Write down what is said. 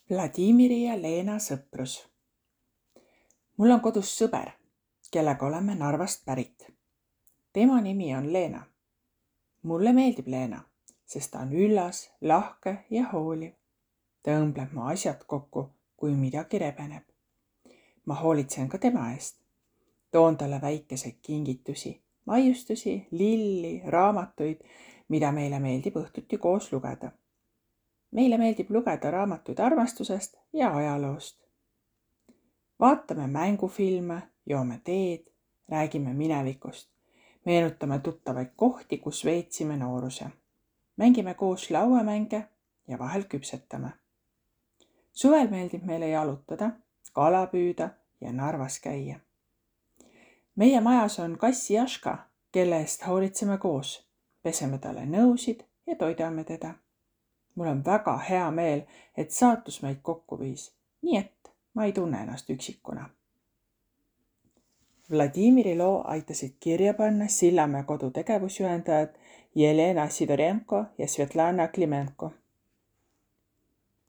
Vladimiri ja Leena sõprus. Mul on kodus sõber, kellega oleme Narvast pärit. Tema nimi on Leena. Mulle meeldib Leena, sest ta on üllas, lahke ja hooliv. Ta õmbleb mu asjad kokku, kui midagi rebeneb. Ma hoolitsen ka tema eest. Toon talle väikeseid kingitusi, maiustusi, lilli, raamatuid, mida meile meeldib õhtuti koos lugeda. Meile meeldib lugeda raamatuid armastusest ja ajaloost. Vaatame mängufilme, joome teed, räägime minevikust. Meenutame tuttavaid kohti, kus veetsime nooruse. Mängime koos lauamänge ja vahel küpsetame. Suvel meeldib meile jalutada, kala püüda ja Narvas käia. Meie majas on kass Jaška, kelle eest hoolitseme koos. Peseme talle nõusid ja toidame teda. Mul on väga hea meel, et saatus meid kokku viis, nii et ma ei tunne ennast üksikuna. Vladimiri loo aitasid kirja panna Sillamäe kodu tegevusjuhendajad Jelena Sidorenko ja Svetlana Klimenko.